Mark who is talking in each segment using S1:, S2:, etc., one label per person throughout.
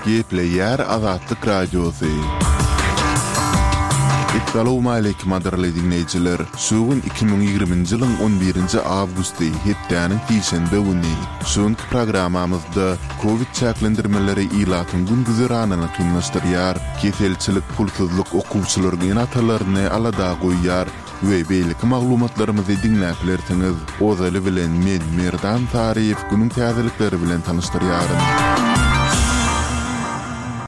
S1: Gepleýär Azatlyk Radiosy. Essalawmaleýkim gadyrly diňleýjiler! Şu gün 2020-nji ýylyň on birinji awgusty, hepdäniň sişenbe güni. Şu günki programmamyzda Covid çäklendirmeleri ilatyň gün-güzeranyny kynlaşdyrýar, keselçilik, pulsuzlyk okuwçylaryň ene-atalaryny alada goýýar we beýleki maglumatlarymyzy diňläp bilersiňiz. Ozaly bilen men, Merdan Saryýew günüň täzelikleri bilen tanyşdyrýaryn.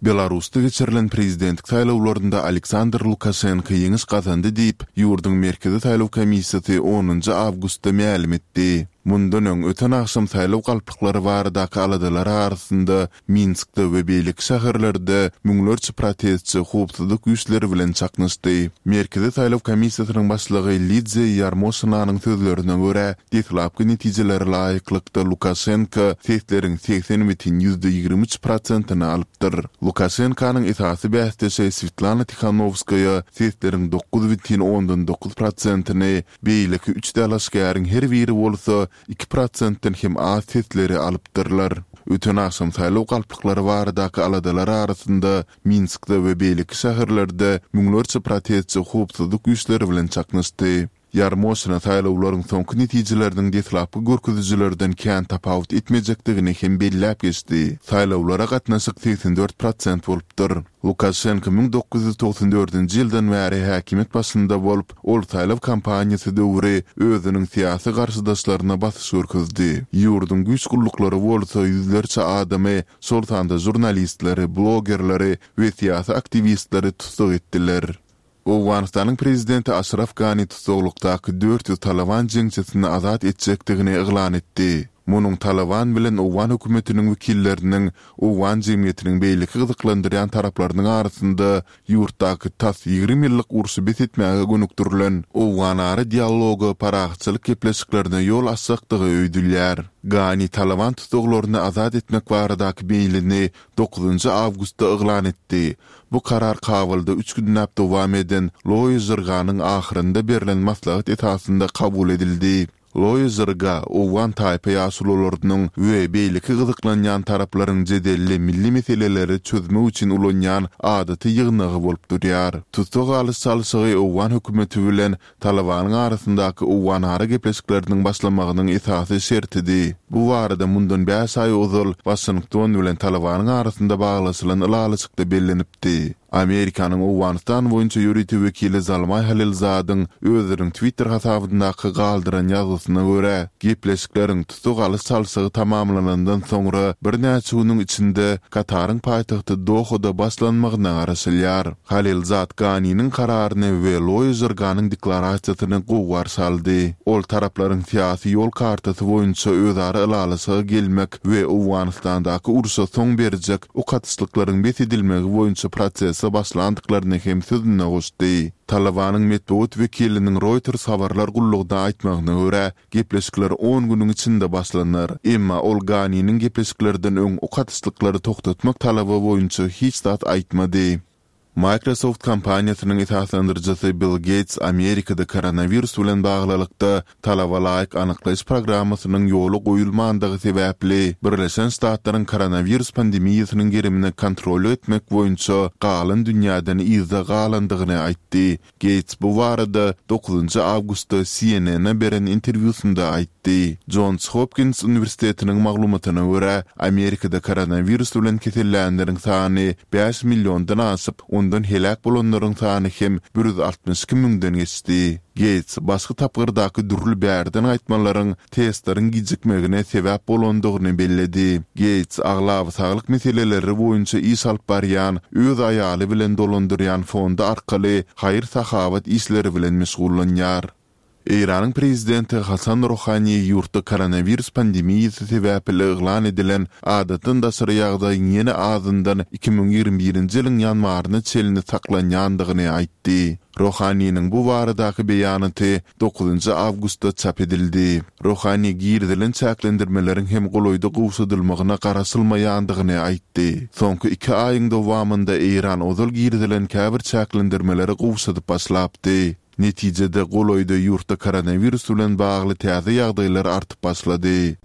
S1: Belarusda geçirilen prezidentlik saýlawlarynda Aleksandr Lukaşenko ýeňiş gazandy diýip, ýurduň Merkezi saýlaw komissiýasy onunjy awgustda mälim etdi. Mundan öň, öten agşam saýlaw galplyklary baradaky aladalar arasynda Minskde we beýleki şäherlerde müňlerçe protestçi howpsuzlyk güýçleri bilen çaknyşdy. Merkezi saýlaw komissiýasynyň başlygy Lidziýa Ýarmoşinanyň sözlerine görä, deslapky netijelere laýyklykda Lukaşenko sesleriň 80,23 prosentini alypdyr. Lukaşenkonyň esasy bäsdeşi Swetlana Tihanowskaýa sesleriň 9,9 prosentini, Beýleki üç dalaşgäriň her biri bolsa iki prosentden hem az sesleri alypdyrlar. Öten agşam saýlaw galplyklary baradaky aladalar arasynda Minskde we beýleki şäherlerde müňlerçe protestçi howpsuzlyk güýçleri bilen çaknyşdy. Ýarmoşina saýlawlaryň soňky netijeleriniň deslapky görkezijilerden kän tapawut etmejekdigini hem belläp geçdi. Saýlawlara gatnaşyk 84 prosent bolupdyr. Lukaşenko 1994-nji ýyldan bäri häkimiýet başynda bolup, ol saýlaw kampaniýasy döwri özüniň syýasy garşydaşlaryna basyş görkezdi. Ýurduň güýç gulluklary bolsa ýüzlerçe adamy, şol sanda žurnalistleri, blogerleri we syýasy aktiwistleri tussag etdiler. Owganystanyň prezidenti Aşraf Gani tussaglykdaky 400 Talyban jeňçisini azat etjekdigini yglan etdi. Munuň Talyban bilen owgan hökümetiniň wekilleriniň, owgan jemgyýetiniň beýleki gyzyklandyrýan taraplarynyň arasynda ýurtdaky tas 20 ýyllyk urşy bes etmäge gönükdirilen owganara dialoga, parahatçylyk gepleşiklerine ýol açjakdygy öýdülýär. Gani Talyban tussaglaryny azat etmek baradaky meýlini dokuzynjy awgustda yglan etdi. Bu karar Kabulda üç günläp dowam eden Loýa Jirganyň ahyrynda berlen maslahat esasynda kabul edildi. Loýa Jirga owgan taýpa ýaşulularynyň we beýleki gyzyklanýan taraplaryň jedelli milli meseleleri çözmek üçin ulanýan adaty ýygnagy bolup durýar. Tussag alyş-çalşygy owgan hökümeti bilen Talybanyň arasyndaky owganara gepleşikleriniň başlamagynyň esasy şertidi. Bu barada mundan bäş aý ozal Waşington bilen Talybanyň arasynda baglaşylan ylalaşykda bellenipdi. Amerikanyň Owganystan boýunça ýörite wekili Zalmaý Halilzadyň özüniň Twitter hasabyndaky galdyran ýazgysyna görä, gepleşikleriň tussag alyş-çalşygy tamamlanandan soňra birnäçe günüň içinde Kataryň paýtagty Dohada başlanmagyna garaşylýar. Halilzad Ganiniň kararyny we Loýa Jirganyň deklarasiýasyny gowy garşy aldy. Ol taraplaryň syýasy ýol kartasy boýunça özara ylalaşyga gelmek we Owganystandaky urşa soň berjek ok atyşlyklaryň bes edilmegi boýunça prosese başlandyklaryny hem sözüne goşdy. Talybanyň metbugat wekiliniň Reuters habarlar gullugyna aýtmagyna görä, gepleşikler on günüň içinde başlanar. Emma ol Ganiniň gepleşiklerden öň ok atyşlyklary togtatmak talaby boýunça hiç zat aýtmady. Microsoft kompaniýasynyň esaslandyryjysy Bill Geýts Amerikada koronawirus bilen baglylykda talaba laýyk anyklaýyş programmasynyň ýola goýulmandygy sebäpli, Birleşen Ştatlaryň koronawirus pandemiýasynyň gerimine kontrollyk etmek boýunça galan dünýäden yzda galandygyny aýtdy. Geýts bu barada dokuzynjy awgustda CNN-e beren interwýusynda aýtdy. Jons Hopkins uniwersitetiniň maglumatyna görä, Amerikada koronawirus bilen kesellänleriň sany bäş milliondan aşyp, ondan heläk bolanlaryň sany hem 162 müňden geçdi. Geýts başky tapgyrdaky dürli bärden gaýtmalaryň testleriň gijikmegine sebäp bolandygyny belledi. Geýts aglaba saglyk meseleleri boýunça iş alyp barýan, öz aýaly bilen dolandyrýan fondy arkaly haýyr-sahawat işleri bilen meşgullanýar. Eýranyň prezidenti Hasan Rohani ýurtda koronawirus pandemiýasy sebäpli yglan edilen adatdan daşary ýagdaýyň ýene azyndan 2021-nji ýylyň ýanwaryna çenli saklanýandygyny aýtdy. Rohaniniň bu baradaky beýanaty dokuzynjy awgustda çap edildi. Rohani girizilen çäklendirmeleriň hem golaýda gowşadylmagyna garaşylmaýandygyny aýtdy. Soňky iki aýyň dowamynda Eýran ozal girizilen käbir çäklendirmeleri gowşadyp başlapdy. Netijede, golaýda ýurtda koronawirus bilen bagly täze ýagdaýlar artyp başlady.